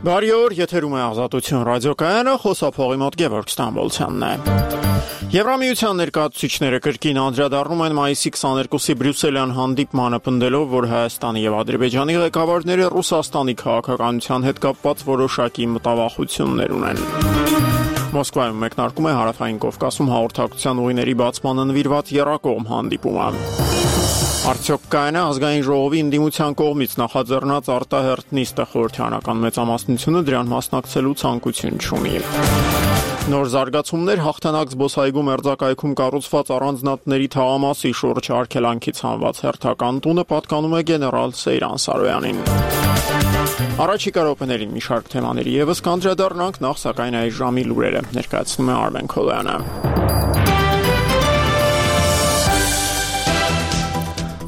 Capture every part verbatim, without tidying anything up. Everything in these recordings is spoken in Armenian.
Բարի օր, եթերում է Ազատություն ռադիոկայանը, խոսափողի մոտ Գևորգ Ստամբոլցյանն է։ Եվրամիության ներկայացուցիչները կրկին անդրադառնում են մայիսի քսաներկուսի Բրյուսելյան հանդիպմանը, պնդելով, որ Հայաստանի եւ Ադրբեջանի ղեկավարները Ռուսաստանի քաղաքականության հետ կապված որոշակի մտավախություններ ունեն։ Մոսկվայում մեկնարկում է Հարավային Կովկասում հաղորդակցության ուղիների բացմանը նվիրված եռակողմ հանդիպումը։ Արդյոք կայուն է ազգային ժողովի ընդդիմության կողմից նախաձեռնած արտահերթ նիստը, խորհրդարանական մեծամասնությունը դրան մասնակցելու ցանկություն չունի։ Նոր զարգացումներ հաղթանակ զբոսայգու մերձակայքում կառուցված առանձնատների թաղամասի շուրջ արգելանքից հանված հերթական տունը պատկանում է գեներալ Սեյրան Սարոյանին։ Առաջիկա րոպեներին մի շարք թեմաների եւս կանդրադառնանք, նախ սակայն այս ժամի լուրերը ներկայացնում է Արմեն Քոլյանը։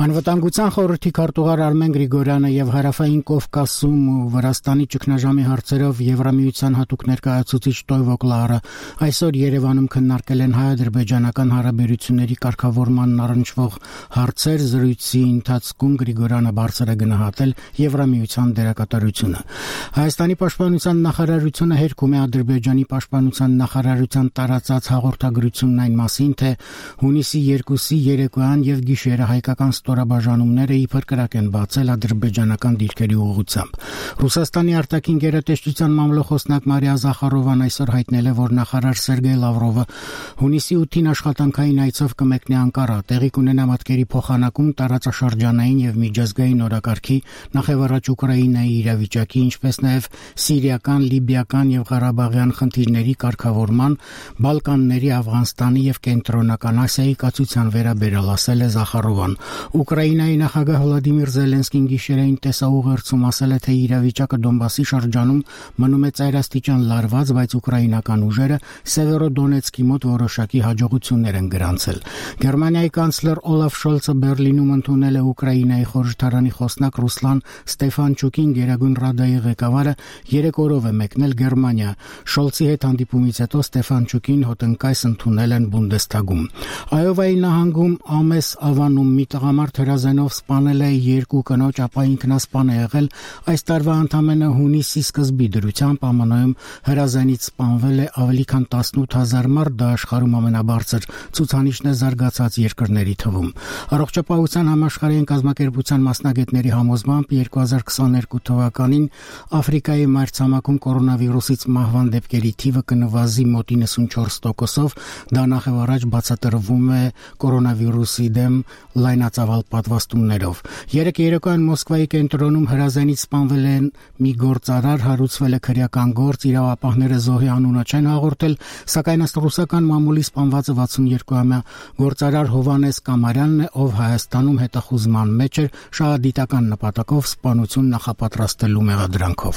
Անվտանգության խորհրդի քարտուղար Արմեն Գրիգորյանը եւ Հարավային Կովկասում ու Վրաստանի ճգնաժամի հարցերով Եվրամիության հատուկ ներկայացուցիչ Տոյվո Կլարը այսօր Երևանում քննարկել են հայ-ադրբեջանական հարաբերությունների կարգավորմանն առնչվող հարցեր։ Զրույցի ընթացքում Գրիգորյանը բարձր է գնահատել Եվրամիության դերակատարությունը։ Հայաստանի պաշտպանության նախարարությունը հերքում է Ադրբեջանի պաշտպանության նախարարության տարածած հաղորդագրությունն այն մասին, թե հունիսի երկուսի երեկոյան եւ գիշերը հայկական ստորաբաժանումները իբր կրակ են բացել ադրբեջանական դիրքերի ուղղությամբ։ Ռուսաստանի արտաքին գերատեսչության մամլոխոսնակ Մարիա Զախարովան այսօր հայտնել է, որ նախարար Սերգեյ Լավրովը հունիսի ութին աշխատանքային այցով կմեկնի Անկարա, տեղի կունենա մատկերի փոխանակում, տարածաշրջանային եւ միջազգային օրակարգի, նախևառաջ Ուկրաինայի իրավիճակի, ինչպես նաեւ սիրիական, լիբիական եւ ղարաբաղյան խնդիրների կարգավորման, Բալկանների, Աֆղանստանի եւ Կենտրոնական Ասիայի կացության վերաբերյալ, ասել է Զախարովան։ Ուկրաինայի նախագահ Վլադիմիր Զելենսկին գիշերային տեսաուղերձում ասել է, թե իրավիճակը Դոնբասի շրջանում մնում է ծայրաստիճան լարված, բայց ուկրաինական ուժերը Սևերոդոնեցկի մոտ որոշակի հաջողություններ են գրանցել։ Գերմանիայի կանցլեր Օլաֆ Շոլցը Բերլինում ընդունել է Ուկրաինայի խորհրդարանի խոսնակ Ռուսլան Ստեֆանչուկին, Գերագույն Ռադայի ղեկավարը երեք օրով է մեկնել Գերմանիա։ Շոլցի հետ հանդիպումից հետո Ստեֆանչուկին հոտնկայս ընդունել են Բունդեստագում։ Այովայի նահանգում Ամես Ավանում մի տղամարդ հրազենով սպանել է երկու կնոջ, ապա ինքնասպան է եղել։ Այս տարվա ընդամենը հունիսի սկզբի դրությամբ ԱՄՆ-ում հրազենից սպանվել է ավելի քան տասնութ հազար մարդ, դա աշխարհում ամենաբարձր ցուցանիշն է զարգացած երկրների թվում։ Առողջապահության համաշխարհային կազմակերպության մասնագետների համոզմամբ երկու հազար քսաներկու թվականին Աֆրիկայի մայրցամաքում կորոնավիրուսից մահվան դեպքերի թիվը կնվազի մոտ իննսունչորս տոկոսով, դա նախևառաջ բացատրվում է կորոնավիրուսի դեմ լայնածավալ պատվաստումներով։ Երեք երեկոյան Մոսկվայի կենտրոնում հրազենից սպանվել են մի գործարար, հարուցվել է քրեական գործ, իրավապահները զոհի անունը չեն հաղորդել, սակայն ըստ ռուսական մամուլի սպանվածը վաթսունյոթ-ամյա գործարար Հովանես Կամարյանն է, ով Հայաստանում հետախուզման մեջ էր շահադիտական նպատակով սպանություն նախապատրաստելու մեղադրանքով։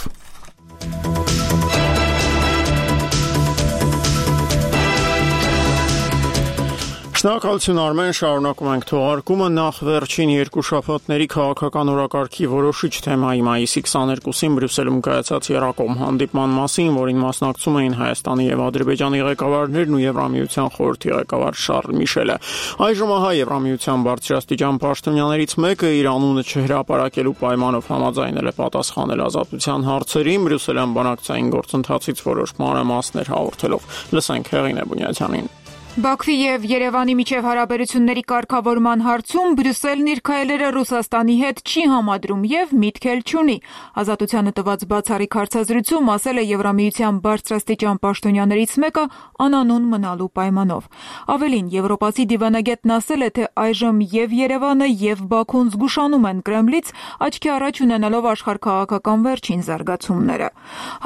Շնորհակալություն Արմեն, շարունակում ենք թողարկումը։ Նախ վերջին երկու շաբաթների քաղաքական օրակարգի որոշիչ թեմայի մայիսի քսաներկուսին Բրյուսելում կայացած եռակողմ հանդիպման մասին, որին մասնակցում էին Հայաստանի եւ Ադրբեջանի ղեկավարներն ու Եվրամիության խորհրդի ղեկավար Շարլ Միշելը։ Այժմ ահա Եվրամիության բարձրաստիճան պաշտոնյաներից մեկը իր անունը չհրապարակելու պայմանով համաձայնել է պատասխանել ազատության հարցերին, Բրյուսելյան բանակցային գործընթացից որոշ մանրամասներ հաղորդելով։ Լսենք Հեղինե Բունյաթյանին։ Բաքվի եւ Երևանի միջև հարաբերությունների կարգավորման հարցում Բրյուսելն իր քայլերը Ռուսաստանի հետ չի համադրում եւ միտք էլ չունի։ Ազատությանը տված բացառիկ հարցազրույցում ասել է Եվրամիության բարձրաստիճան պաշտոնյաներից մեկը անանուն մնալու պայմանով։ Ավելին, եվրոպացի դիվանագետն ասել է, թե այժմ եւ Երևանը եւ Բաքուն զգուշանում են Կրեմլից, աչքի առաջ ունենալով աշխարհքաղաքական վերջին զարգացումները։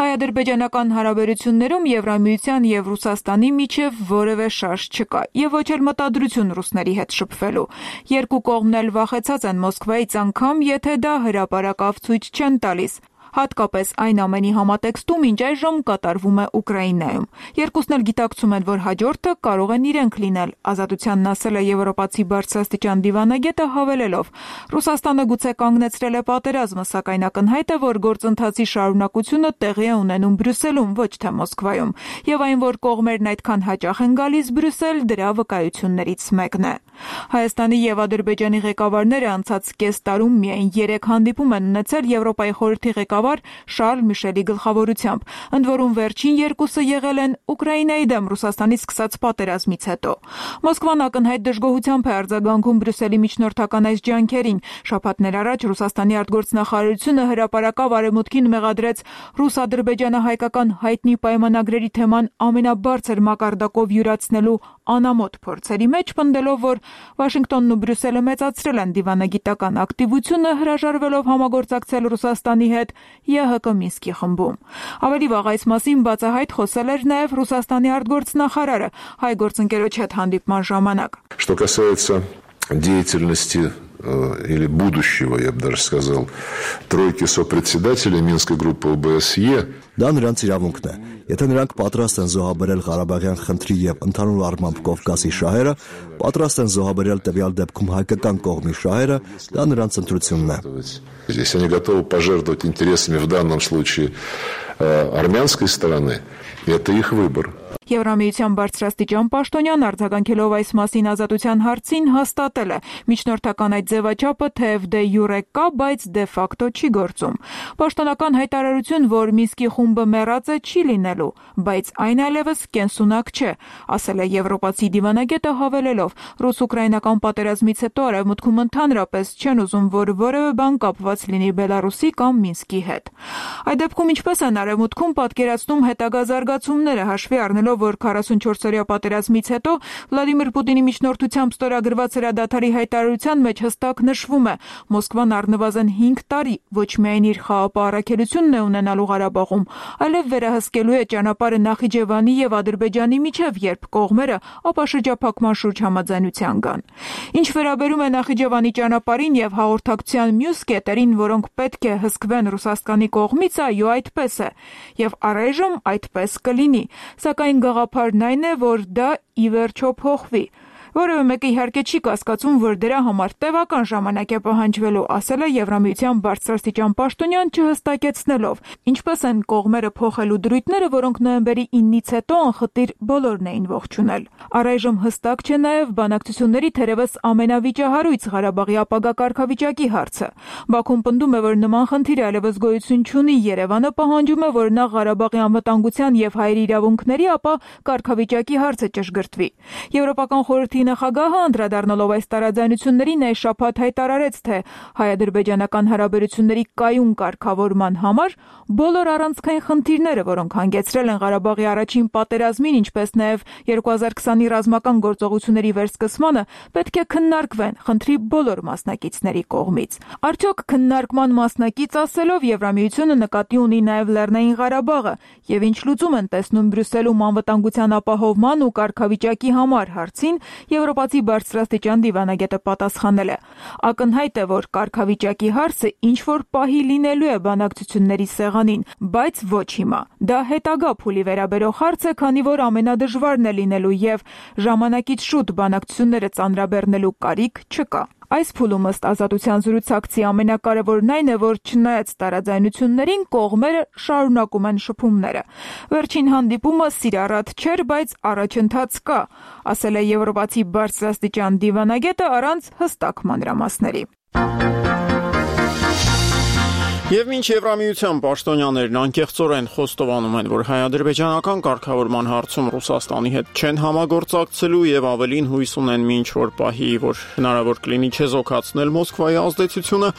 Հայ-ադրբեջանական հարաբերություններում Եվրամիության եւ Ռուսաստանի միջև որևէ շարժ չկա եւ ոչ էլ մտադրություն ռուսների հետ շփվելու։ Երկու կողմն էլ վախեցած են Մոսկվայից, անգամ եթե դա հրապարակավ ցույց չեն տալիս։ Հատկապես այն ամենի համատեքստում, ինչ այժմ կատարվում է Ուկրաինայում։ Երկուսն էլ գիտակցում են, որ հաջորդը կարող են իրենք լինել, ազատությանն ասել է եվրոպացի բարձրաստիճան դիվանագետը, հավելելով. Ռուսաստանը գուցե կանգնեցրել է պատերազմը, սակայն ակնհայտ է, որ գործընթացի շարունակությունը տեղի է ունենում Բրյուսելում, ոչ թե Մոսկվայում, եւ այն, որ կողմերն այդքան հաճախ են գալիս Բրյուսել, դրա վկայություններից մեկն է։ Հայաստանի եւ Ադրբեջանի ղեկավարները անցած կես տարում միայն երեք հանդիպում են ունեցել Եվրոպայի խորհրդի ղեկավար ղեկավար Շարլ Միշելի գլխավորությամբ, ընդ որում վերջին երկուսը եղել են Ուկրաինայի դեմ Ռուսաստանից սկսած պատերազմից հետո։ Մոսկվան ակնհայտ դժգոհությամբ է արձագանքում Բրյուսելի միջնորդական այս ջանքերին։ Շաբաթներ առաջ Ռուսաստանի արտգործնախարարությունը հրապարակավ Արևմուտքին մեղադրեց ռուս-ադրբեջանահայկական հայտնի պայմանագրերի թեման ամենաբարձր մակարդակով յուրացնելու անամոթ փորձերի մեջ, պնդելով, որ Վաշինգտոնն ու Բրյուսելը մեծացրել են դիվանագիտական ակտիվությունը, հրաժարվելով համագործակցել Ռուսաստանի հետ ԵՀԿ Մինսկի խմբում։ Ավելի վաղ այս մասին բացահայտ խոսել էր նաև Ռուսաստանի արտգործնախարարը հայ գործընկերոջ հետ հանդիպման ժամանակ։ Что касается деятельности или будущего, я бы даже сказал, тройки сопредседателей Минской группы о бэ эс е. Դա նրանց իրավունքն է։ Եթե նրանք պատրաստ են зоհաբերել Ղարաբաղյան խնդրի եւ ընդհանուր առմամբ Կովկասի շահերը, պատրաստ են зоհաբերել տվյալ դեպքում հայկական կողմի շահերը, դա նրանց ընտրությունն է։ Если они готовы пожертвовать интересами в данном случае армянской стороны, это их выбор. Եվրամիության բարձրաստիճան պաշտոնյան արձագանքելով այս մասին ազատության հարցին հաստատել է միջնորդական այդ ձևաչափը թեև դե յուրե կա, բայց դե ֆակտո չի գործում։ Պաշտոնական հայտարարություն, որ Մինսկի խումբը մեռած է, չի լինելու, բայց այն այլևս կենսունակ չէ, ասել է եվրոպացի դիվանագետը հավելելով. ռուս-ուկրաինական պատերազմից հետո Արևմուտքում ընդհանրապես չեն ուզում, որ որևէ բան կապված լինի Բելարուսի կամ Մինսկի հետ։ Այդ դեպքում ինչպես են Արևմուտքում պատկերացնում հետագա զարգացումները հաշվի առնելով, որ քառասունչորսօրյա պատերազմից հետո Վլադիմիր Պուտինի միջնորդությամբ ստորագրված հրադադարի հայտարարության մեջ հստակ նշվում է. Մոսկվան առնվազն հինգ տարի ոչ միայն իր խաղապահ առաքելությունն է ունենալու Ղարաբաղում, այլև վերահսկելու է ճանապարհը Նախիջևանի եւ Ադրբեջանի միջև, երբ կողմերը ապաշրջափակման շուրջ համաձայնության գան։ Ինչ վերաբերում է Նախիջևանի ճանապարհին եւ հաղորդակցության մյուս կետերին, որոնք պետք է հսկվեն Ռուսաստանի կողմից, այո, այդպես է, եւ առայժմ այդպես կլինի, սակայն գաղափարն այն է, որ դա ի վերջո փոխվի։ Որևէ մեկը իհարկե չի կասկածում, որ դրա համար տևական ժամանակ է պահանջվելու, ասել է Եվրամիության բարձրաստիճան պաշտոնյան չհստակեցնելով, ինչպես են կողմերը փոխելու դրույթները, որոնք նոյեմբերի իննից հետո անխտիր բոլորն էին ողջունել։ Առայժմ հստակ չէ նաև բանակցությունների թերևս ամենավիճահարույց Ղարաբաղի ապագա կարգավիճակի հարցը։ Բաքուն պնդում է, որ նման խնդիր այլևս գոյություն չունի, Երևանը պահանջում է, որ նա Ղարաբաղի անվտանգության եւ հայերի իրավունքների, ապա կարգավիճակի հարցը ճշգրտվի։ Եվրոպական խորհրդի նախագահը անդրադառնալով այս տարաձայնություններին այս շաբաթ հայտարարեց, թե հայ-ադրբեջանական հարաբերությունների կայուն կարգավորման համար բոլոր առանցքային խնդիրները, որոնք հանգեցրել են Ղարաբաղի առաջին պատերազմին, ինչպես նաև երկու հազար քսանի ռազմական գործողությունների վերսկսմանը, պետք է քննարկվեն խնդրի բոլոր մասնակիցների կողմից։ Արդյոք քննարկման մասնակից ասելով Եվրամիությունը նկատի ունի նաև Լեռնային Ղարաբաղը եւ ինչ լուծում են տեսնում Բրյուսելում անվտանգության ապահովման ու կարգավիճակի համար հարցին Եվրոպացի բարձրաստիճան դիվանագետը պատասխանել է. Ակնհայտ է, որ կարգավիճակի հարցը ինչ որ պահի լինելու է բանակցությունների սեղանին, բայց ոչ հիմա։ Դա հետագա փուլի վերաբերող հարց է, քանի որ ամենադժվարն է լինելու եւ ժամանակից շուտ բանակցությունները ծանրաբեռնելու կարիք չկա։ Այս փուլում ըստ ազատության զրուցակցի ամենակարևորն այն է, որ չնայած տարաձայնություններին կողմերը շարունակում են շփումները։ Վերջին հանդիպումը սիրառատ չէր, բայց առաջընթաց կա, ասել է եվրոպացի բարձրաստիճան դիվանագետը առանց հստակ մանրամասների։ Եվ մինչ Եվրամիության պաշտոնյաներն անկեղծորեն խոստովանում են, որ հայ-ադրբեջանական կարգավորման հարցում Ռուսաստանի հետ չեն համագործակցելու եւ ավելին հույս ունեն մինչ որ պահի, որ հնարավոր կլինի չեզոքացնել Մոսկվայի ազդեցությունը,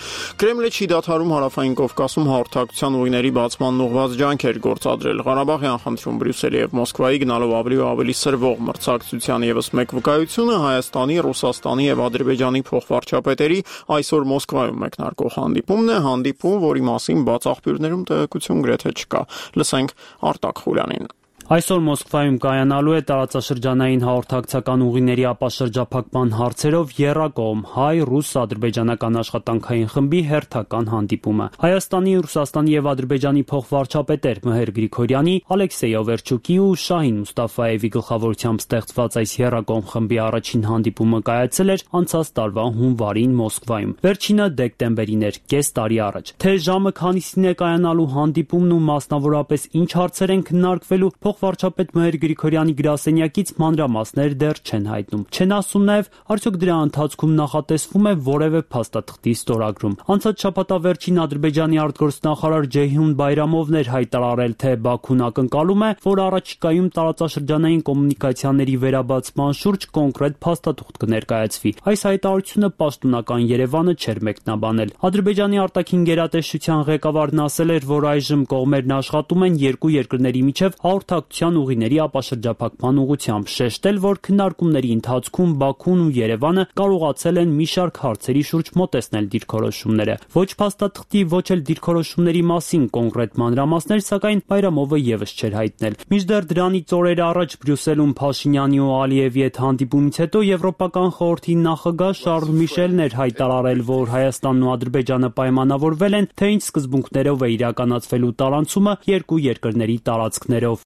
Կրեմլը չի դադարում հարավային Կովկասում հաղորդակցության ուղիների բացման ուղղված ջանքեր գործադրել։ Ղարաբաղյան խնդրում Բրյուսելի եւ Մոսկվայի գնալով ավելի ու ավելի սրվող մրցակցության եւս մեկ վկայությունը Հայաստանի, Ռուսաստանի եւ Ադրբեջանի փոխվարչապետերի այսօր Մոսկվայում մեկնարկող հանդիպումն է, հանդիպում, որի մասին բաց աղբյուրներում տեղեկություն գրեթե չկա։ Լսենք Արտակ Խուլյանին։ Այսօր Մոսկվայում կայանալու է տարածաշրջանային հաղորդակցական ուղիների ապաշրջափակման հարցերով եռակողմ հայ-ռուս-ադրբեջանական աշխատանքային խմբի հերթական հանդիպումը։ Հայաստանի, Ռուսաստանի եւ Ադրբեջանի փոխվարչապետեր Մհեր Գրիգորյանի, Ալեքսեյ Օվերչուկի ու Շահին Մուստաֆաևի գլխավորությամբ ստեղծված այս եռակողմ խմբի առաջին հանդիպումը կայացել էր անցած տարվա հունվարին Մոսկվայում։ Վերջինը դեկտեմբերին էր, կես տարի առաջ։ Թե ժամը քանիսին է կայանալու հանդիպումն ու մասնավորապես ինչ հարցեր են քննարկվելու, փոխվարչապետ Մհեր Գրիգորյանի գրասենյակից մանրամասներ դեռ չեն հայտնում։ Չեն ասում նաև, արդյոք դրա ընթացքում նախատեսվում է որևէ փաստաթղթի ստորագրում։ Անցած շաբաթավերջին Ադրբեջանի արտգործնախարար Ջեյհուն Բայրամովն էր հայտարարել, թե Բաքուն ակնկալում է, որ առաջիկայում տարածաշրջանային կոմունիկացիաների վերաբացման շուրջ կոնկրետ փաստաթուղթ կներկայացվի։ Այս հայտարարությունը պաշտոնական Երևանը չէր մեկնաբանել։ Ադրբեջանի արտաքին գերատեսչության ղեկավարն ասել էր, որ այժմ կողմերն աշխատում են երկու երկրների միջև հաղորդակցության ուղիների ապաշրջափակման ուղղությամբ, շեշտել, որ քննարկումների ընթացքում Բաքուն ու Երևանը կարողացել են մի շարք հարցերի շուրջ մոտեցնել դիրքորոշումները։ Ոչ փաստաթղթի, ոչ էլ դիրքորոշումների մասին կոնկրետ մանրամասներ, սակայն Բայրամովը եւս չէր հայտնել։ Մինչդեռ դրանից օրեր առաջ Բրյուսելում Փաշինյանի ու Ալիևի հետ հանդիպումից հետո Եվրոպական խորհրդի նախագահ Շարլ Միշելն էր հայտարարել, որ Հայաստանն ու Ադրբեջանը պայմանավորվել են, թե ինչ սկզբունքներով է իրականացվելու տարանցումը երկու երկրների տարածքներով։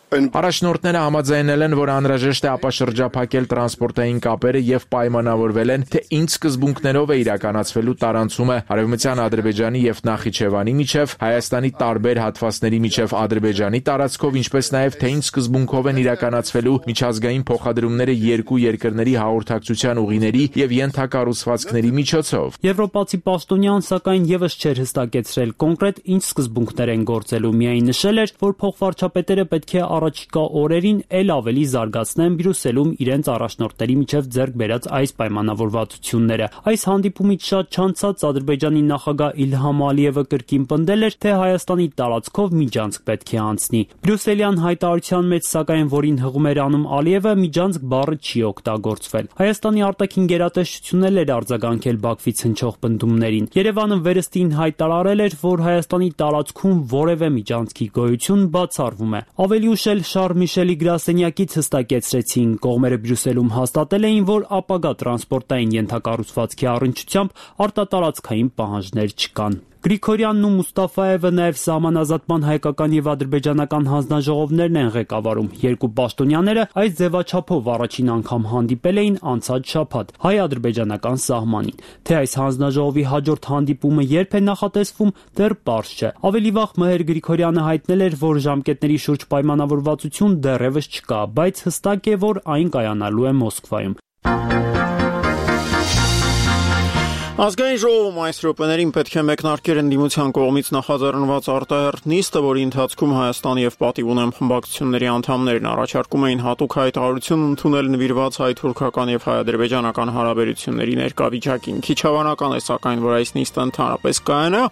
Առաջնորդները համաձայնել են, որ անհրաժեշտ է ապաշրջափակել տրանսպորտային կապերը եւ պայմանավորվել են, թե ինչ սկզբունքներով է իրականացվելու տարանցումը Արևմտյան Ադրբեջանի եւ Նախիջևանի միջև, Հայաստանի տարբեր հատվածների միջև Ադրբեջանի տարածքով, ինչպես նաեւ թե ինչ սկզբունքով են իրականացվելու միջազգային փոխադրումները երկու երկրների հաղորդակցության ուղիների եւ ենթակառուցվածքների միջոցով։ Եվրոպացի պաշտոնյան սակայն եւս չէր հստակեցրել կոնկրետ ինչ սկզբունքներ են գործելու, միայն նշել էր, որ փոխվարչապետերը պետք է առաջիկա օրերին ել ավելի զարգացնեն Բրյուսելում իրենց առաջնորդների միջև ձեռք բերած այս պայմանավորվածությունները։ Այս հանդիպումից շատ չանցած Ադրբեջանի նախագահ Իլհամ Ալիևը կրկին պնդել էր, թե Հայաստանի տարածքով միջանցք պետք է անցնի։ Բրյուսելյան հայտարարության մեջ, սակայն որին հղում էր անում Ալիևը, միջանցք բառը չի օգտագործվել։ Հայաստանի արտաքին գերատեսչությունն էլ էր արձագանքել Բաքվից հնչող պնդումներին։ Երևանը վերստին հայտարարել էր, որ Հայաստանի տարածքում որևէ միջանցքի գոյություն բացառվում է։ Ավելի ուշ էլ Շարլ Միշելի գրասենյակից հստակեցրեցին, կողմերը Բրյուսելում հաստատել էին, որ ապագա տրանսպորտային ենթակառուցվածքի առնչությամբ արտատարածքային պահանջներ չկան։ Գրիգորյանն ու Մուստաֆաևը նաև սահմանազատման հայկական եւ ադրբեջանական հանձնաժողովներն են ղեկավարում։ Երկու պաշտոնյաները այս ձևաչափով առաջին անգամ հանդիպել էին անցած շաբաթ հայ-ադրբեջանական սահմանին։ Թե այս հանձնաժողովի հաջորդ հանդիպումը երբ է նախատեսվում, դեռ պարզ չէ։ Ավելի վաղ Մհեր Գրիգորյանը հայտնել էր, որ ժամկետների շուրջ պայմանավորվածություն դեռևս չկա, բայց հստակ է, որ այն կայանալու է Մոսկվայում։ Ազգային ժողովում այս րոպեներին պետք է մեկնարկեր ընդդիմության կողմից նախաձեռնված արտահերթ նիստը, որի ընթացքում Հայաստանի եւ պատիվ ունեմ խմբակցությունների անդամներն առաջարկում էին հատուկ հայտարարություն ընդունել նվիրված հայ-թուրքական եւ հայ-ադրբեջանական հարաբերությունների ներկա վիճակին։ Քիչ հավանական է սակայն, որ այս նիստը ընդհանրապես կայանա,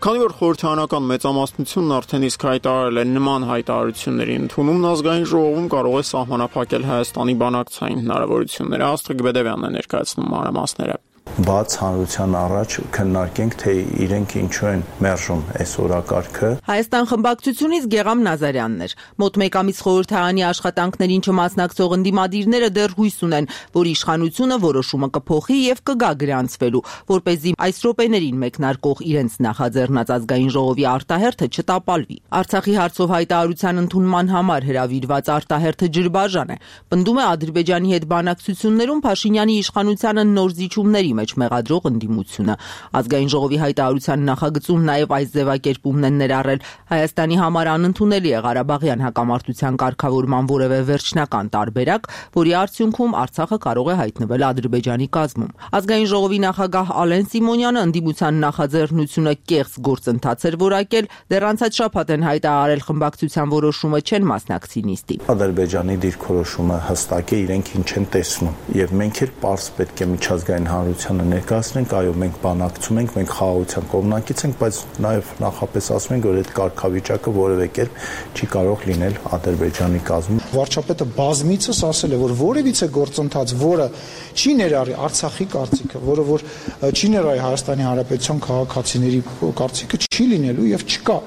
քանի որ խորհրդարանական մեծամասնությունն արդեն իսկ հայտարարել է նման հայտարարությունների ընդունումն ազգային ժողովում կարող է սահմանափակել Հայաստանի բանակցային հնարավորությունները։ Աստղիկ Բեդևյանն է ներկայացնում մանրամասները։ Բաց հանրության առաջ քննարկենք, թե իրենք ինչու են մերժում այս օրակարգը։ Հայաստան խմբակցությունից Գեգամ Նազարյանն էր։ Մոտ մեկ ամիս խորհրդարանի աշխատանքներին չմասնակցող ընդդիմադիրները դեռ հույս ունեն, որ իշխանությունը որոշումը կփոխի եւ կգա գրանցվելու, որպեսզի այս րոպեներին մեկնարկող իրենց նախաձեռնած ազգային ժողովի արտահերթը չտապալվի։ Արցախի հարցով հայտարարության ընդունման համար հրավիրված արտահերթը ջրբաժան է։ Պնդում է Ադրբեջանի հետ բանակցություններում Փաշինյանի իշխանությանը նոր զիջումների մեջ մեղադրող ընդդիմությունը։ Ազգային ժողովի հայտարարության նախագծում նաև այս ձևակերպումն են ներառել. Հայաստանի համար անընդունելի է Ղարաբաղյան հակամարտության կարգավորման որևէ վերջնական տարբերակ, որի արդյունքում Արցախը կարող է հայտնվել Ադրբեջանի կազմում։ Ազգային ժողովի նախագահ Ալեն Սիմոնյանը ընդդիմության նախաձեռնությունը կեղծ գործընթաց էր որակել, դեռ անցած շաբաթ են հայտարարել խմբակցության որոշումը չեն մասնակցի նիստի։ Ադրբեջանի դիրքորոշումը հստակ է, իրենք ինչ են տեսնում, եւ մենք էլ պարզ պետք է միջազգային հանրությանը ներկայացնենք, այո, մենք բանակցում ենք, մենք խաղաղության կողմնակից ենք, բայց նաև նախապես ասում ենք, որ այդ կարգավիճակը որևէ կերպ չի կարող լինել Ադրբեջանի կազմում։ Վարչապետը բազմիցս ասել է, որ որևիցե գործընթաց, որը չի ներառի Արցախի կարծիքը, որը որ չի ներառի Հայաստանի Հանրապետության քաղաքացիների կարծիքը, չի լինելու եւ չկա։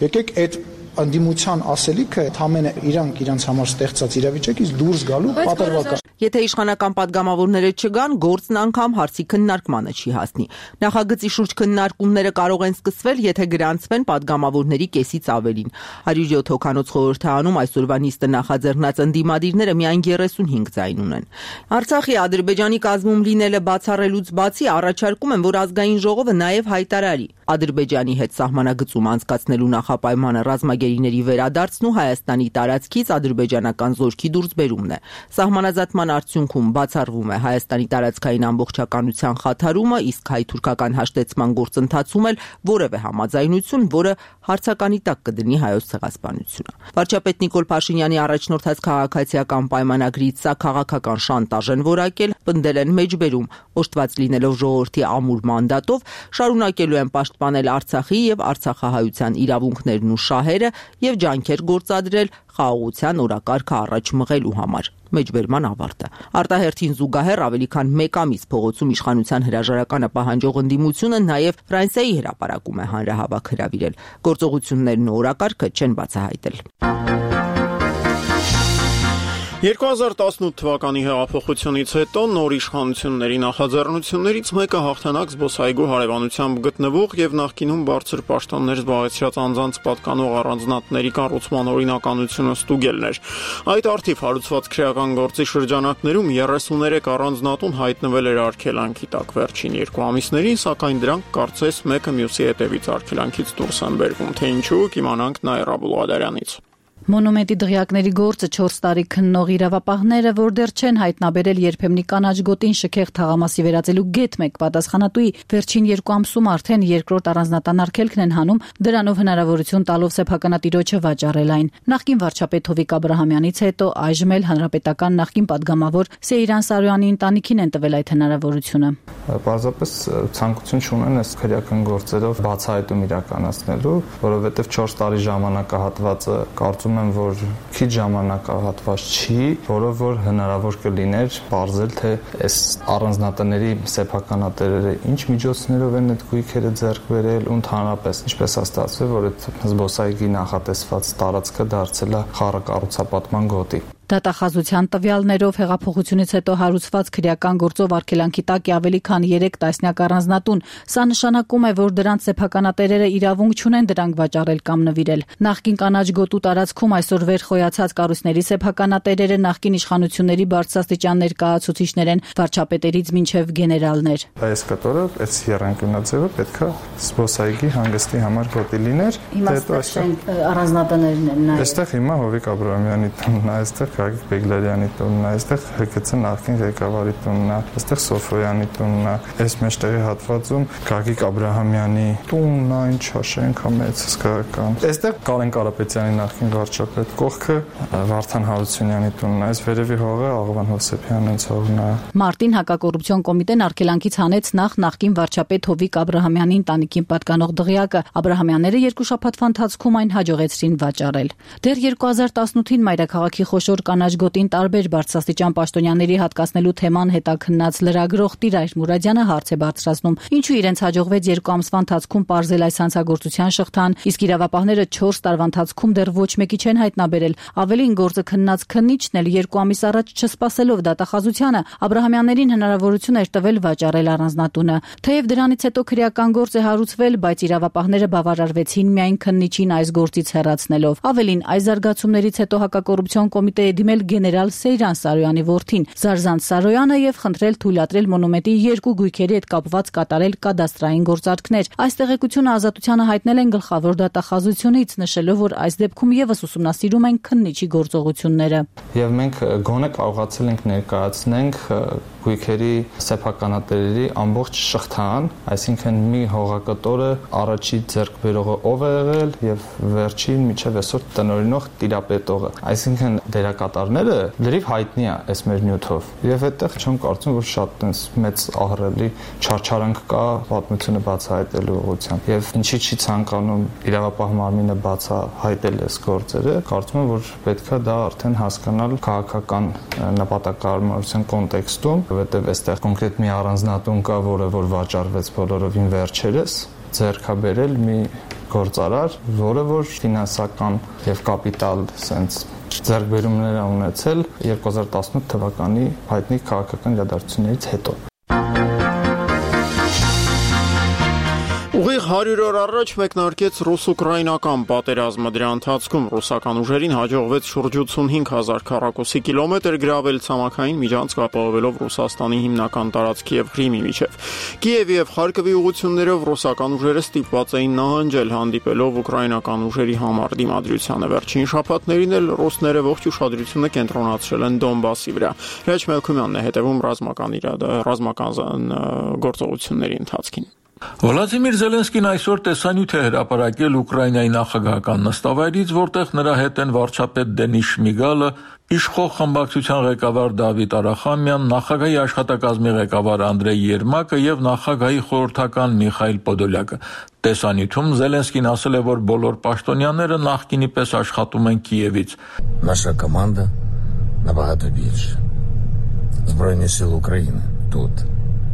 Եկեք այդ ընդդիմության ասելիքը ամենը իրանք իրանց համար ստեղծած իրավիճակից դուրս գալու պատրվակ է։ Եթե իշխանական падգամավորները չգան, գործն անգամ հարցի քննարկմանը չի հասնի։ Նախագծի շուրջ քննարկումները կարող են սկսվել, եթե գրանցվեն падգամավորների կեսից ավելին։ հարյուր յոթ հոգանոց խորհրդարանում այսօրվա նիստը նախաձեռնած ընդդիմադիրները միայն երեսունհինգ ձայն ունեն։ Արցախի Ադրբեջանի կազմում լինելը բացառելուց բացի առաջարկում են, որ ազգային ժողովը նաև հայտարարի։ Ադրբեջանի հետ սահմանագծում անցկացնելու նախապայմանը ռազմագերիների վերադարձն ու Հայաստանի տարածքից ադրբեջանական զորքի դուրսբերումն է։ Սահմանազատման արդյունքում բացառվում է Հայաստանի տարածքային ամբողջականության խաթարումը, իսկ հայ-թուրքական հաշտեցման գործընթացում էլ որևէ համաձայնություն, որը հարցականի տակ կդնի հայոց ցեղասպանությունը։ Վարչապետ Նիկոլ Փաշինյանի առաջնորդած քաղաքացիական պայմանագրից սա քաղաքական շանտաժ են որակել, պնդել են մեջբերում, օժտված լինելով ժողովրդի ամուր մանդատով, շարունակելու են պաշտպանել Արցախի եւ արցախահայության իրավունքներն ու շահերը եւ ջանքեր գործադրել խաղաղության օրակարգը առաջ մղելու համար։ Մեջբերման ավարտը։ Արտահերթին զուգահեռ ավելի քան մեկ ամիս փողոցում իշխանության հրաժարականը պահանջող ընդդիմությունը նաև Ֆրանսիայի հրապարակում է հանրահավաք հրավիրել։ Գործողություններն ու օրակարգը չեն բացահայտել։ երկու հազար տասնութ թվականի հեղափոխությունից հետո նոր իշխանությունների նախաձեռնություններից մեկը հաղթանակ զբոսայգու հարևանությամբ գտնվող եւ նախկինում բարձր պաշտոններ զբաղեցրած անձանց պատկանող առանձնատների կառուցման օրինականությունը ստուգելն էր։ Այդ արդիվ հարուցված քրեական գործի շրջանակներում երեսուներեք առանձնատուն հայտնվել էր արգելանքի տակ վերջին երկու ամիսներին, սակայն դրանք կարծես մեկը մյուսի հետևից արգելանքից դուրս են բերվում, թե ինչու կիմանանք Նաիրա Բուլղադարյանից։ Մոնումենտի դղյակների գործը չորս տարի քննող իրավապահները, որ դեռ չեն հայտնաբերել երբեմնի կանաչ գոտին շքեղ թաղամասի վերածելու գետ մեկ պատասխանատուի, վերջին երկու ամսում արդեն երկրորդ առանձնատան արգելքն են հանում, դրանով հնարավորություն տալով սեփականատիրոջը վաճառել այն։ Նախկին վարչապետ Հովիկ Աբրահամյանից հետո այժմ էլ հանրապետական նախկին падգամավոր Սեյրան Սարոյանի ընտանիքին են տվել այդ հնարավորությունը։ Պարզապես ցանկություն չունեն այս քրեական գործերով բացահայտում իրականացնելու, որովհետև չորս տարի ժամանակահատվածը կարծում եմ, որ քիչ ժամանակահատված չի, որով որ հնարավոր կլիներ բարձել, թե այս առանձնատների սեփականատերերը ինչ միջոցներով են այդ գույքերը ձեռք բերել ու ընդհանրապես ինչպես է ստացվել, որ այդ զբոսայգի նախատեսված տարածքը դարձել է խառը կառուցապատման գոտի։ Դատախազության տվյալներով հեղափոխությունից հետո հարուցված քրեական գործով արգելանքի տակ է ավելի քան երեք տասնյակ առանձնատուն։ Սա նշանակում է, որ դրանց սեփականատերերը իրավունք չունեն դրանք վաճառել կամ նվիրել։ Նախկին կանաչ գոտու տարածքում այսօր վերխոյացած կառույցների սեփականատերերը նախկին իշխանությունների բարձրաստիճան ներկայացուցիչներ են, վարչապետերից մինչև գեներալներ։ Այս կտորը, այս եռանկյունաձևը պետքա զբոսայգի հանգստի համար գոտի լիներ։ Հիմա առանձնատներն են նայ։ Այստեղ հիմա Հովիկ Աբրահամյանի տունն է, այստեղ Գագիկ Բեգլարյանի տունն է, այստեղ ՀԿՑ նախկին ղեկավարի տունն է, այստեղ Սոֆոյանի տունն է, այս մեջտեղի հատվածում Գագիկ Աբրահամյանի տունն է, ինչ հաշենք մեծ հսկայական։ Այստեղ Կարեն Կարապետյանի նախկին վարչապետ, կողքը Վարդան Հարությունյանի տունն է, այս վերևի հողը Աղվան Հովսեփյանի ցողն է։ Մարտին հակակոռուպցիոն կոմիտեն արգելանքից հանեց նախ նախկին վարչապետ Հովիկ Աբրահամյանի ընտանիքին պատկանող դղյակը։ Աբրահամյանները երկու շաբաթվա ընթացքում այն հաջողեցրին վաճառել։ Դեռ երկու հազար տասնութին մայրաքաղաքի խոշոր կանաչ գոտին տարբեր բարձրաստիճան պաշտոնյաների հատկացնելու թեման հետաքննած լրագրող Տիրայր Մուրադյանը հարց է բարձրացնում. ինչու իրենց հաջողվեց երկու ամսվա ընթացքում պարզել այս հանցագործության շղթան, իսկ իրավապահները չորս տարվա ընթացքում դեռ ոչ մեկի չեն հայտնաբերել։ Ավելին գործը քննած քննիչն էլ երկու ամիս առաջ չսպասելով դատախազությանը Աբրահամյաններին հնարավորություն էր տվել վաճառել առանձնատունը։ Թեև դրանից հետո քրեական գործ է հարուցվել, բայց իրավապահները բավարարվեցին միայն քննիչին այս գործից հեռացնելով։ Ավելին, այս զարգացումներից հետո հակակոռուպցիոն կոմիտեի դիմել գեներալ Սեյրան Սարոյանի որդին Զարզանց Սարոյանը եւ խնդրել թույլատրել մոնումենտի երկու գույքերի հետ կապված կատարել կադաստրային գործարքներ։ Այս տեղեկությունը ազատությանը հայտնել են գլխավոր դատախազությունից, նշելով, որ այս դեպքում եւս ուսումնասիրում են քննիչի գործողությունները։ Եվ մենք գոնե կարողացել ենք ներկայացնենք գույքերի սեփականատերերի ամբողջ շղթան, այսինքն մի հողակտորը առաջի ձեռք բերողը ով է եղել եւ վերջին միջև այսօր տնօրինող տիրապետողը։ Այսինքն դերակատարները լրիվ հայտնի է այս մեր նյութով։ Եվ այդտեղ չեմ կարծում, որ շատ այնպես մեծ ահռելի չարչարանք կա պատմությունը բացահայտելու ուղղությամբ։ Եվ ինչի չի ցանկանում իրավապահ մարմինը բացահայտել այս գործերը, կարծում եմ, որ պետքա դա արդեն հասկանալ քաղաքական նպատակահարմարության կոնտեքստում, որովհետև այստեղ կոնկրետ մի առանձնատուն կա, որը որ վաճառվեց բոլորովին վերջերս, ձեռքաբերել մի գործարար, որը որ ֆինանսական եւ կապիտալ sense ձեռքբերումներ է ունեցել երկու հազար տասնութ թվականի հայտնի քաղաքական իրադարձություններից հետո։ Ուղիղ հարյուր օր առաջ մեկնարկեց ռուս-ուկրաինական պատերազմը, դրա ընթացքում ռուսական ուժերին հաջողվեց շուրջ ութսունհինգ հազար քառակուսի կիլոմետր գրավել ցամաքային միջանցք ապահովելով Ռուսաստանի հիմնական տարածքի եւ Կրիմի միջև։ Կիևի եւ Խարկովի ուղղություններով ռուսական ուժերը ստիպված էին նահանջել, հանդիպելով ուկրաինական ուժերի համար դիմադրությանը։ Վերջին շաբաթներին էլ ռուսները ողջ ուշադրությունը կենտրոնացրել են Դոնբասի վրա։ Հրաչ Մելքումյանն է հետևում ռազմական իրադարձությունների ռազմական գործողությունների ընթացքին։ Վլադիմիր Զելենսկին այսօր տեսանյութ է հրապարակել Ուկրաինայի նախագահական նստավայրից, որտեղ նրա հետ են վարչապետ Դենիս Շմիգալը, իշխող խմբակցության ղեկավար Դավիթ Արախամյան, նախագահի աշխատակազմի ղեկավար Անդրեյ Երմակը եւ նախագահի խորհրդական Միխայիլ Պոդոլյակը։ Տեսանյութում Զելենսկին ասել է, որ բոլոր պաշտոնյաները նախկինի պես աշխատում են Կիևից։ Наша команда набагато більше. Збройні сили України тут.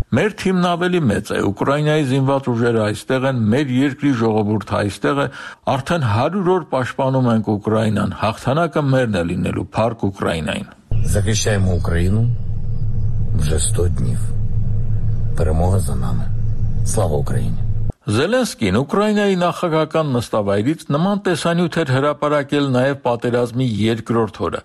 Մեր թիմն ավելի մեծ է, Ուկրաինայի զինված ուժերը այստեղ են, մեր երկրի ժողովուրդը այստեղ է, արդեն հարյուր օր պաշտպանում ենք Ուկրաինան, հաղթանակը մերն է լինելու, փառք Ուկրաինային։ Захищаємо Україну вже сто днів. Перемога за нами. Слава Україні. Զելենսկին Ուկրաինայի նախագահական նստավայրից նման տեսանյութ էր հրապարակել նաև պատերազմի երկրորդ օրը։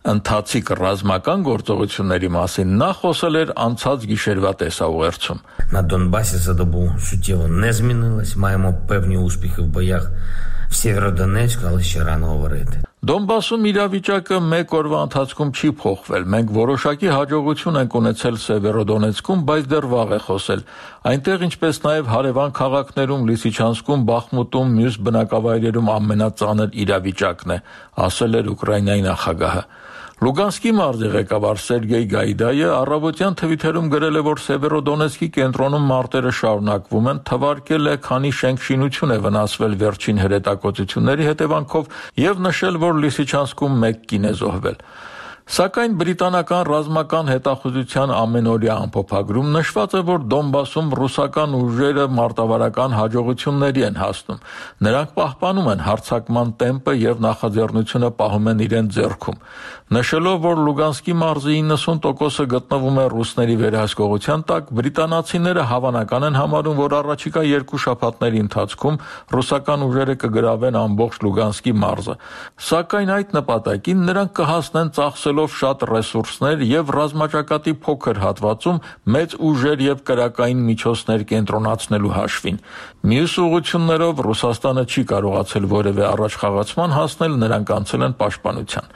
Ընթացիկ ռազմական գործողությունների մասին նա խոսել էր անցած գիշերվա տեսաուղերձում։ На Донбасі за добу суттєво не змінилось. Маємо певні успіхи в боях в Сєвєродонецьку, але ще рано говорити. Դոնբասում իրավիճակը մեկ օրվա ընթացքում չի փոխվել։ Մենք որոշակի հաջողություն ենք ունեցել Սևերոդոնեցկում, բայց դեռ վաղ է խոսել։ Այնտեղ, ինչպես նաև հարևան քաղաքներում, Լիսիչանսկում, Բախմուտում, մյուս բնակավայրերում ամենածանր իրավիճակն է, ասել էր Ուկրաինայի նախագահը։ Լուգանսկի մարզի ղեկավար Սերգեյ Գայդայը առավոտյան թվիթերում գրել է, որ Սևերոդոնեցկի կենտրոնում մարտերը շարունակվում են, թվարկել է, քանի շենք-շինություն է վնասվել վերջին հրետակոծությունների հետևանքով եւ նշել, որ Լիսիչանսկում մեկ կին է զոհվել։ Սակայն բրիտանական ռազմական հետախուզության ամենօրյա ամփոփագրում նշված է, որ Դոնբասում ռուսական ուժերը մարտավարական հաջողությունների են հասնում։ Նրանք պահպանում են հարձակման տեմպը եւ նախաձեռնությունը պահում են իրենց ձեռքում։ Նշելով, որ Լուգանսկի մարզի իննսուն տոկոսը գտնվում է ռուսների վերահսկողության տակ, բրիտանացիները հավանական են համարում, որ առաջիկա երկու շաբաթների ընթացքում ռուսական ուժերը կգրավեն ամբողջ Լուգանսկի մարզը։ Սակայն այդ նպատակին նրանք կհասնեն ծախսելով շատ ռեսուրսներ եւ ռազմաճակատի փոքր հատվածում մեծ ուժեր եւ կրակային միջոցներ կենտրոնացնելու հաշվին։ Մյուս ուղղություններով Ռուսաստանը չի կարողացել որևէ առաջխաղացման հասնել, նրանք անցել են պաշտպանության։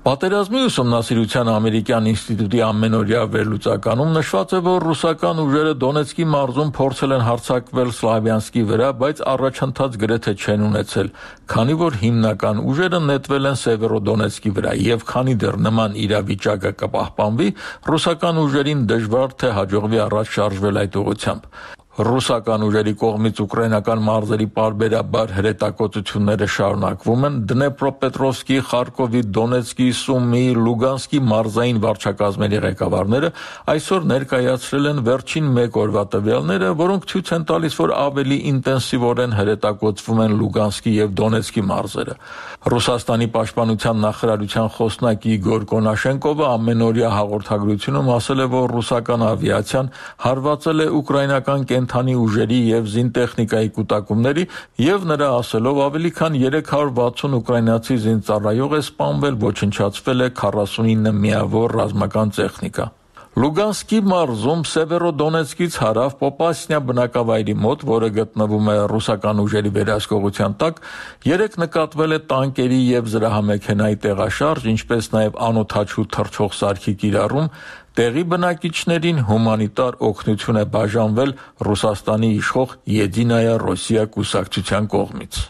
Պատերազմի ուսումնասիրության ամերիկյան ինստիտուտի ամենօրյա վերլուծականում նշված է, որ ռուսական ուժերը Դոնեցկի մարզում փորձել են հարձակվել Սլավյանսկի վրա, բայց առաջընթաց գրեթե չեն ունեցել, քանի որ հիմնական ուժերը նետվել են Սևերոդոնեցկի վրա, եւ քանի դեռ նման իրավիճակը կպահպանվի, ռուսական ուժերին դժվար թե հաջողվի առաջ շարժվել այդ ուղղությամբ։ Ռուսական ուժերի կողմից ուկրաինական մարզերի պարբերաբար հրետակոծությունները շարունակվում են։ Դնեպրոպետրովսկի, Խարկովի, Դոնեցկի, Սումի, Լուգանսկի մարզային վարչակազմերի ղեկավարները այսօր ներկայացրել են վերջին մեկ օրվա տվյալները, որոնք ցույց են տալիս, որ ավելի ինտենսիվորեն հրետակոծվում են Լուգանսկի եւ Դոնեցկի մարզերը։ Ռուսաստանի պաշտպանության նախարարության խոսնակ Իգոր Կոնաշենկովը ամենօրյա հաղորդագրությունում ասել է, որ ռուսական ավիացիան հարվածել է ուկրաինական կենթանի ուժերի եւ զինտեխնիկայի կուտակումների եւ նրա ասելով ավելի քան երեք հարյուր վաթսուն ուկրաինացի զինծառայող է սպանվել, ոչնչացվել է քառասունինը միավոր ռազմական տեխնիկա։ Լուգանսկի մարզում Սևերոդոնեցկից հարավ Պոպասնյա բնակավայրի մոտ, որը գտնվում է ռուսական ուժերի վերահսկողության տակ, երեք նկատվել է տանկերի եւ զրահամեքենայի տեղաշարժ, ինչպես նաեւ անօդաչու թռչող սարքի կիրառում, տեղի բնակիչներին հումանիտար օգնություն է բաժանվել Ռուսաստանի իշխող Եդինայա Ռոսիա կուսակցության կողմից։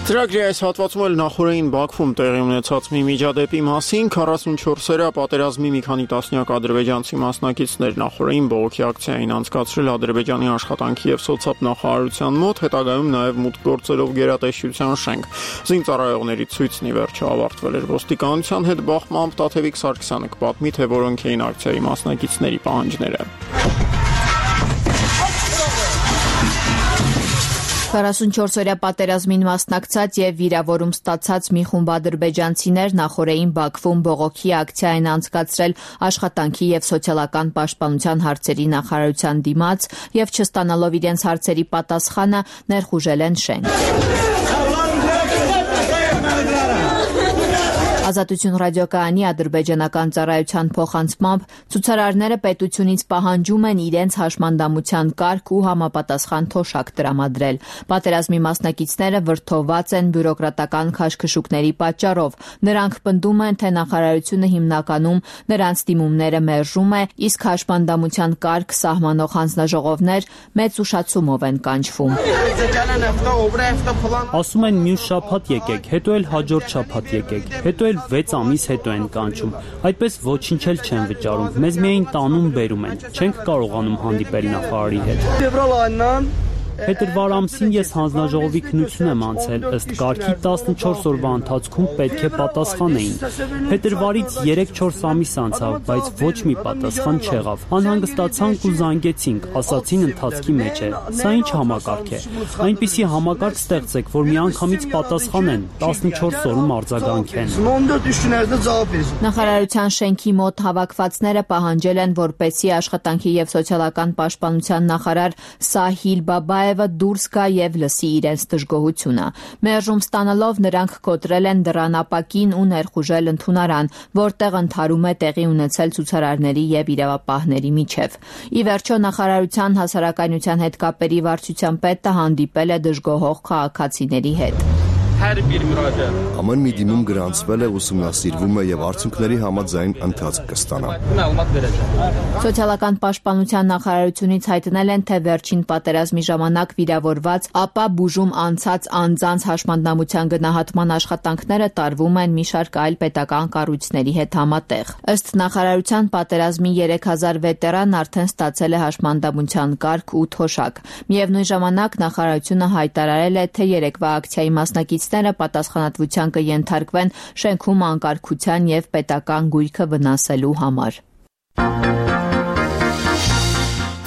Ծրագրի այս հատվածում էլ նախորդին Բաքվում տեղի ունեցած մի միջադեպի մասին քառասունչորսերա պատերազմի մի քանի տասնյակ ադրբեջանցի մասնակիցներ նախորդին բողոքի ակցիային անցկացրել Ադրբեջանի աշխատանքի եւ սոցիալ նախարարության մոտ, հետագայում նաեւ մուտք գործելով գերատեսչության շենք։ Զինծառայողների ցույցն ի վերջո ավարտվել էր ոստիկանության հետ բախմամբ Տաթևիկ Սարգսյանը կպատմի, թե որոնք էին ակցիայի մասնակիցների պահանջները։ քառասունչորս-օրյա պատերազմին մասնակցած եւ վիրավորում ստացած մի խումբ ադրբեջանցիներ նախորդին Բաքվում բողոքի ակցիա են անցկացրել աշխատանքի եւ սոցիալական պաշտպանության հարցերի նախարարության դիմաց եւ չստանալով իրենց հարցերի պատասխանը ներխուժել են շենք։ Ազատություն ռադիոկայանի ադրբեջանական ծառայության փոխանցմամբ ցուցարարները պետությունից պահանջում են իրենց հաշմանդամության կարգ ու համապատասխան թոշակ տրամադրել։ Պատերազմի մասնակիցները վրդովված են բյուրոկրատական քաշքշուկների պատճառով։ Նրանք պնդում են, թե նախարարությունը հիմնականում նրանց դիմումները մերժում է, իսկ հաշմանդամության կարգ սահմանող հանձնաժողովներ մեծ ուշացումով են կանչվում։ Ասում են մյուս շաբաթ եկեք, հետո էլ հաջորդ շաբաթ եկեք, հետո էլ վեց ամիս հետո են կանչում, այդպես ոչինչ էլ չեն վճարում, մեզ միայն տանում բերում են, չենք կարողանում հանդիպել նախարարի հետ։ Փետրվար ամսին ես հանձնաժողովի քննություն եմ անցել, ըստ կարգի տասնչորս օրվա ընթացքում պետք է պատասխանեին։ Փետրվարից երեք-չորս ամիս անցավ, բայց ոչ մի պատասխան չեղավ։ Անհանգստացանք ու զանգեցինք, ասացին ընթացքի մեջ է։ Սա ինչ համակարգ է։ Այնպիսի համակարգ ստեղծեք, որ միանգամից պատասխանեն, տասնչորս օրում արձագանքեն։ Նախարարության շենքի մոտ հավաքվածները պահանջել են, որպեսզի աշխատանքի եւ սոցիալական պաշտպանության նախարար Սահիլ Բաբայ դուրս գա եւ լսի իրենց դժգոհությունը։ Մերժում ստանալով նրանք կոտրել են դռանապակին ու ներխուժել ընդունարան, որտեղ ընդհարում է տեղի ունեցել ցուցարարների եւ իրավապահների միջև։ Ի վերջո նախարարության հասարակայնության հետ կապերի վարչության պետը հանդիպել է դժգոհող քաղաքացիների հետ։ Ամեն մի դիմում գրանցվել է, ուսումնասիրվում է եւ արդյունքների համաձայն ընթացք կստանա։ Սոցիալական պաշտպանության նախարարությունից հայտնել են, թե վերջին պատերազմի ժամանակ վիրավորված, ապա բուժում անցած անձանց հաշմանդամության գնահատման աշխատանքները տարվում են մի շարք այլ պետական կառույցների հետ համատեղ։ Ըստ նախարարության պատերազմի երեք հազար վետերան արդեն ստացել է հաշմանդամության կարգ ու թոշակ։ Միևնույն ժամանակ նախարարությունը հայտարարել է, թե երեկվա ակցիայի մասնակից պատասխանատվության կենթարկվեն շենքում անկարգության եւ պետական գույքը վնասելու համար։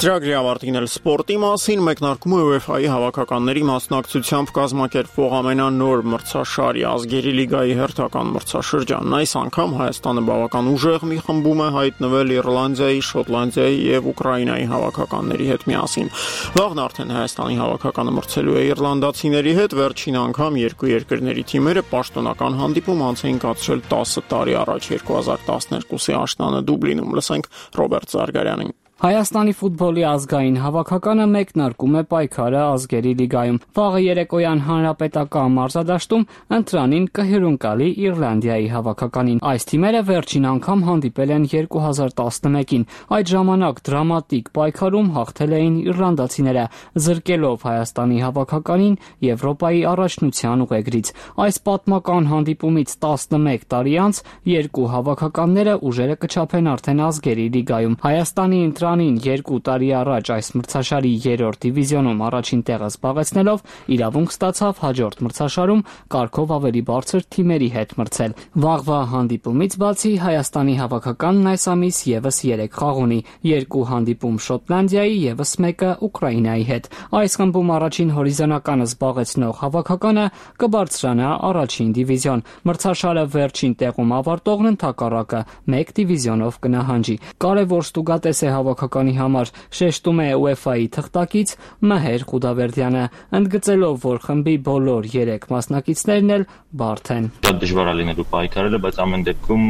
Ծրագրի ավարտին էլ սպորտի մասին մեկնարկում է ՈՒԵՖԱ-ի հավաքականների մասնակցությամբ կազմակերպվող ամենանոր մրցաշարի ազգերի լիգայի հերթական մրցաշրջանն։ Այս անգամ Հայաստանը բավական ուժեղ մի խմբում է հայտնվել Իռլանդիայի, Շոտլանդիայի եւ Ուկրաինայի հավաքականների հետ միասին։ Վաղն արդեն Հայաստանի հավաքականը մրցելու է իռլանդացիների հետ, վերջին անգամ երկու երկրների թիմերը պաշտոնական հանդիպում անց էին կացրել տասը տարի առաջ երկու հազար տասներկուսի աշնանը Դուբլինում։ Լսենք Ռոբերտ Զարգարյանին։ Հայաստանի ֆուտբոլի ազգային հավաքականը մեկնարկում է պայքարը ազգերի լիգայում։ Վաղը երեկոյան հանրապետական մարզադաշտում ընտրանին կհյուրընկալի Իռլանդիայի հավաքականին։ Այս թիմերը վերջին անգամ հանդիպել են երկու հազար տասնմեկին։ Այդ ժամանակ դրամատիկ պայքարում հաղթել էին իռլանդացիները, զրկելով Հայաստանի հավաքականին Եվրոպայի առաջնության ուղեգրից։ Այս պատմական հանդիպումից տասնմեկ տարի անց երկու հավաքականները ուժերը կչափեն արդեն ազգերի լիգայում։ Հայաստանի ընտրանին երկու տարի առաջ այս մրցաշարի երրորդ դիվիզիոնում առաջին տեղը զբաղեցնելով իրավունք ստացավ հաջորդ մրցաշարում կարգով ավելի բարձր թիմերի հետ մրցել։ Վաղվա հանդիպումից բացի Հայաստանի հավաքականն այս ամիս եւս երեք խաղ ունի՝ երկու հանդիպում Շոտլանդիայի, եւս մեկը Ուկրաինայի հետ։ Այս խմբում առաջին հորիզոնականը զբաղեցնող հավաքականը կբարձրանա առաջին դիվիզիոն։ Մրցաշարը վերջին տեղում ավարտողն ընդհակառակը մեկ դիվիզիոնով կնահանջի։ Կարևոր ստուգատես է հավաքականի համար, շեշտում է ՈՒԵՖԱ-ի թղթակից Մհեր Խուդավերդյանը, ընդգծելով, որ խմբի բոլոր երեք մասնակիցներն էլ բարդ են։ Դա դժվար է լինելու պայքարելը, բայց ամեն դեպքում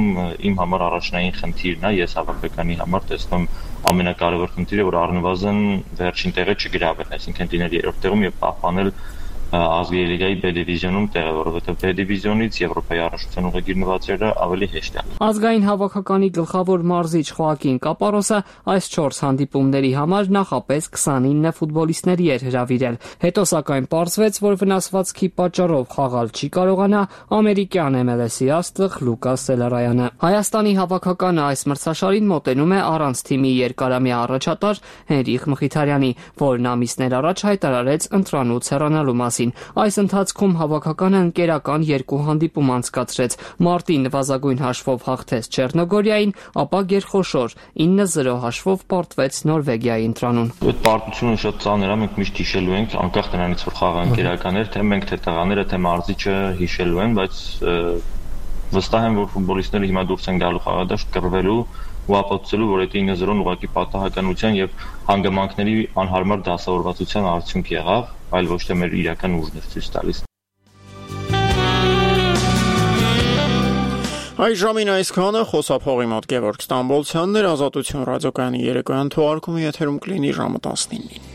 իմ համար առաջնային խնդիրն է, ես հավաքականի համար տեսնում ամենակարևոր խնդիրը, որ առնվազն վերջին տեղը չգրավել, այսինքն լինել երրորդ տեղում եւ պահպանել ազգերի լիգայի B դիվիզիոնում տեղը, որովհետև B դիվիզիոնից Եվրոպայի առաջնության ուղեգիր նվաճելը ավելի հեշտ է։ Ազգային հավաքականի գլխավոր մարզիչ Խոակին Կապարոսը այս չորս հանդիպումների համար նախապես քսանինը ֆուտբոլիստների էր հրավիրել։ Հետո սակայն պարզվեց, որ վնասվածքի պատճառով խաղալ չի կարողանա ամերիկյան M L S-ի աստղ Լուկաս Սելարայանը։ Հայաստանի հավաքականը այս մրցաշարին մոտենում է առանց թիմի երկարամյա առաջատար Հենրիխ Մխիթարյանի, որն ամիսներ առաջ հայտարարեց ընտրանուց հեռանալու մասին։ կայացրեցին։ Այս ընթացքում հավաքականը ընկերական երկու հանդիպում անցկացրեց։ Մարտի նվազագույն հաշվով հաղթեց Չեռնոգորիային, ապա գերխոշոր ինը զրո հաշվով պարտվեց Նորվեգիայի ընտրանուն։ Այդ պարտությունը շատ ծանր է, մենք միշտ հիշելու ենք, անկախ նրանից որ խաղը ընկերական էր, թե մենք թե տղաները, թե մարզիչը հիշելու են, բայց վստահ եմ, որ ֆուտբոլիստները հիմա դուրս են գալու խաղադաշտ կռվելու ու ապացուցելու, որ այդ ինը զրոն ուղղակի պատահականության եւ հանգամանքների անհարմար դասավորվածության արդյունք եղավ, այլ ոչ թե մեր իրական ուժն էր ցույց տալիս։ Այս ժամին այսքանը խոսափողի մոտ Գևորգ Ստամբոլցյանն էր, Ազատություն ռադիոկայանի երեկոյան թողարկումը եթերում կլինի ժամը տասնինին։